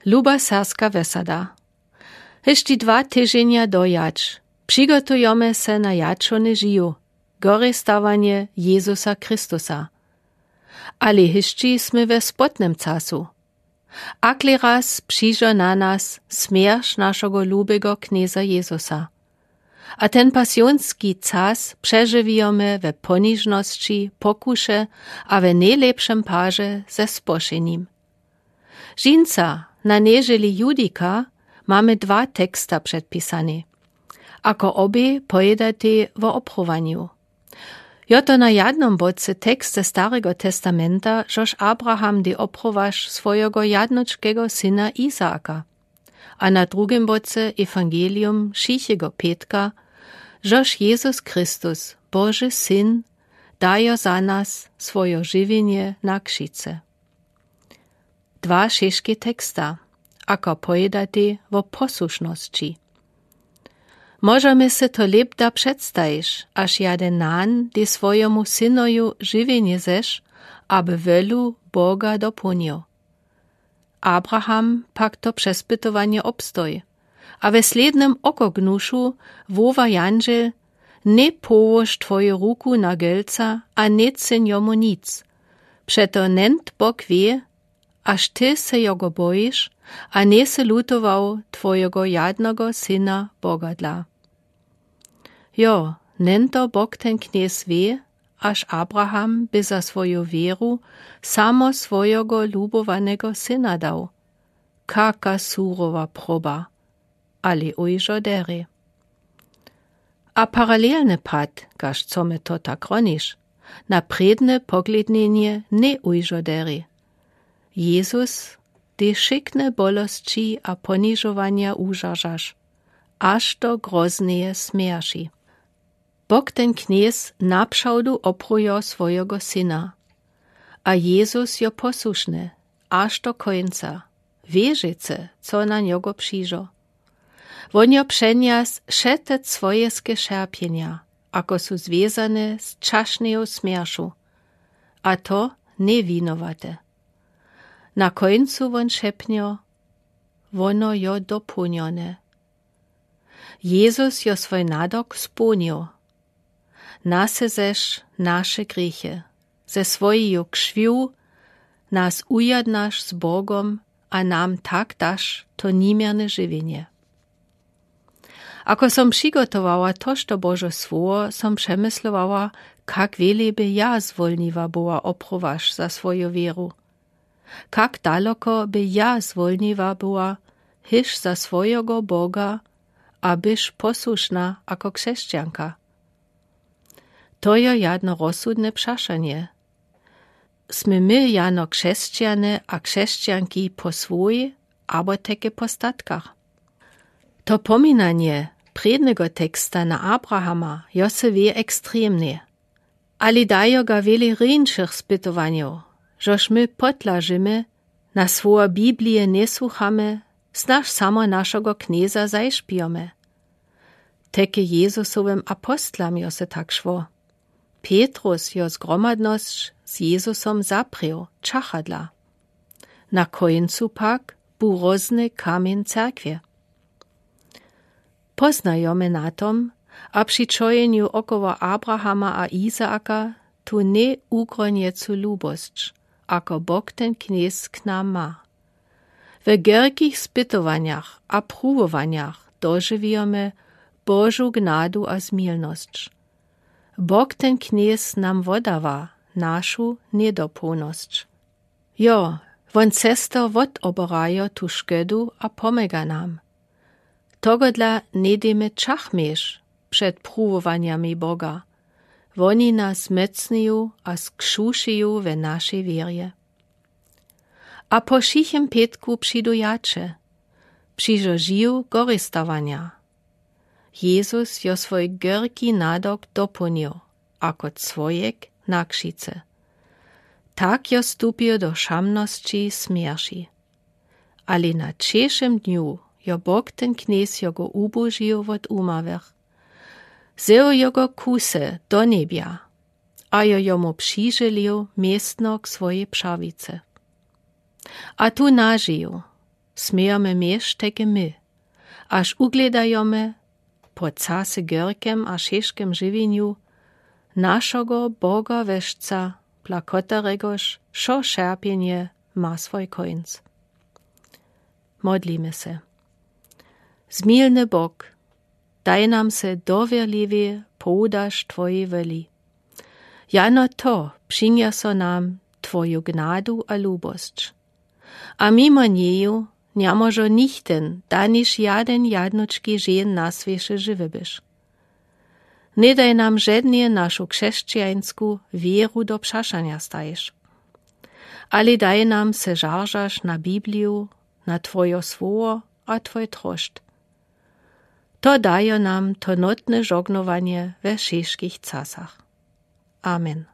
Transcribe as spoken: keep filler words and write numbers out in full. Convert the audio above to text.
Luba serbska wesada, hyšći dwa tyženja dojadź přigotujomy se na jadšowny žiw, gorestawanje jezusa christusa. Ale hyšći smy we spotnym casu. Akle raz přižo na nas smjerš našogo lubego knjeza jezusa. A ten pasionski cas přežiwijomy we ponižnosći pokuše a we nejlepšem parze ze spošenim. Žińca na nježeli judika mamy dwa teksta předpisane, ako obie pojedatej wo obchowanju. Jo to na jadnym bodce tekst ze starego testamenta, žož abraham dej obchowaš swojego jadnočkego syna izaaka, a na drugim bodce ewangelium wšichego pětka, žož jezus christus, boži syn, dajo za nas swojo žiwjenje na křižce. Dwa šeške teksta, ako pojedatej wo posłušnosći. Móžemy se to lěpda předstajiš, až jaden nan dej swojemu synoju žiwjenje zesz, aby wolu boga dopołnił. Abraham pak to přespytowanje obstoj, a we slědnym okognušu woła jandźel: Njej połož twoju ruku na gelca a njej cyn jomu nic. Přeto nent bóg wě, až ty se jogo bojiš a njej sy lutował twojogo jadnogo syna boga dla. Jo, nento bóg ten knjez wě, až abraham by za swoju wěru samo swojogo lubowanego syna dał. Kaka surowa proba. Ale ujžo deri. A paralelny pad, kaž co me to tak roniš, na prědne poglědnjenje njej ujžo deri. Jezus dej wšikne bolosći a ponižowanja užaržaš, až do grozneje smjerši. Bóg ten knjez napřawdu oprujo swojogo syna. A jezus jo posłušny, až do kónca, wěrzecy, co na njogo přižo. Wón jo přenjas wše te swojeske šerpjenja, ako su zwězane z čašneju smjeršu. A to njej winowaty. Na kóncu wón šepnjo: Wono jo dopołnjone. Jezus jo swój nadok społnjił. Nase zesz naše grěchy, ze swojeju křwił nas ujadnaš z bogom, a nam tak daš to nimierne žiwjenje. Ako som přigotowała tożto božo słowo, som přemyslowała, kak wjele by ja zwólniła była opruwaš za swoju wěru. Kak daloko by ja zwólniła była, hyž za swojogo boga, a byš posłušna ako křesćanka? To jo jadno rozsudne přašanje. Smy my jano křesćany a křesćanki po swój, abo teke po statkach? To pominanje prědnego teksta na abrahama jo se wě ekstremne. Ale dajo ga wjele rjeńšych spytowanjow, žož my potlažimy, na słowa biblije njesłuchamy, snaž samo našogo knjeza zajšpijomy. Teke jezusowym apostlam jo se tak šło. Petrus jo zgromadnosć z jezusom zaprěł čachadla. Na kóncu pak bu rozny kamjeń cerkwje. Poznajomy na tom, a při čojenju około abrahama a izaaka, tu njej ugronjecu lubosć, ako bóg ten knjez k nam ma. We gerkich spytowanjach a pruwowanjach dožiwijomy božu gnadu a zmilnosć. Bóg ten knjez nam wodawa našu njedopołnosć. Jo, wón cesto wotoborajo tu škedu a pomyga nam. Togodla njedejmy čachmješ před pruwowanjami boga. Woni nas mocniju a skšušiju we našej wěrje. A po wšichym pětku přidu jaće, přižo žiw goristawanja. Jezus jo swój gerki nadok dopołnjił, ako cwojek na křižce. Tak jo stupił do szamnosći smjerši. Ale na třešim dnju jo bóg ten knjez jogo ubožił wód umawych. Wzył jogo ku se do njebja, a jo jomu přiželił městno k swojej přawicy. A tu nažił, smejomy miesc teke my, až uglědajomy, pó case gorkem a scižkem żëwjenju, našogo Boga weszca, pla koteregož wšo šerpjenje ma swój kóńc. Modlimy se. Zmiłny Bóg, daj nam se dowěrliwie pòwdac twóji wòli. Jano to prziniesło nam twóju gnadu a lubosc. A mimo njeju njemóžo nichtyn, daniž jaden jadnučki žen na swěce żëwy być. Nje daj nam żednje našu křesćańsku wěru do płašanja stajić. Ale daj nam se zazdrzeć na Bibliju, na twójo słowo a twój troszcz. To dajo nam to nótne žognowanje we wšitkich czasach. Amen.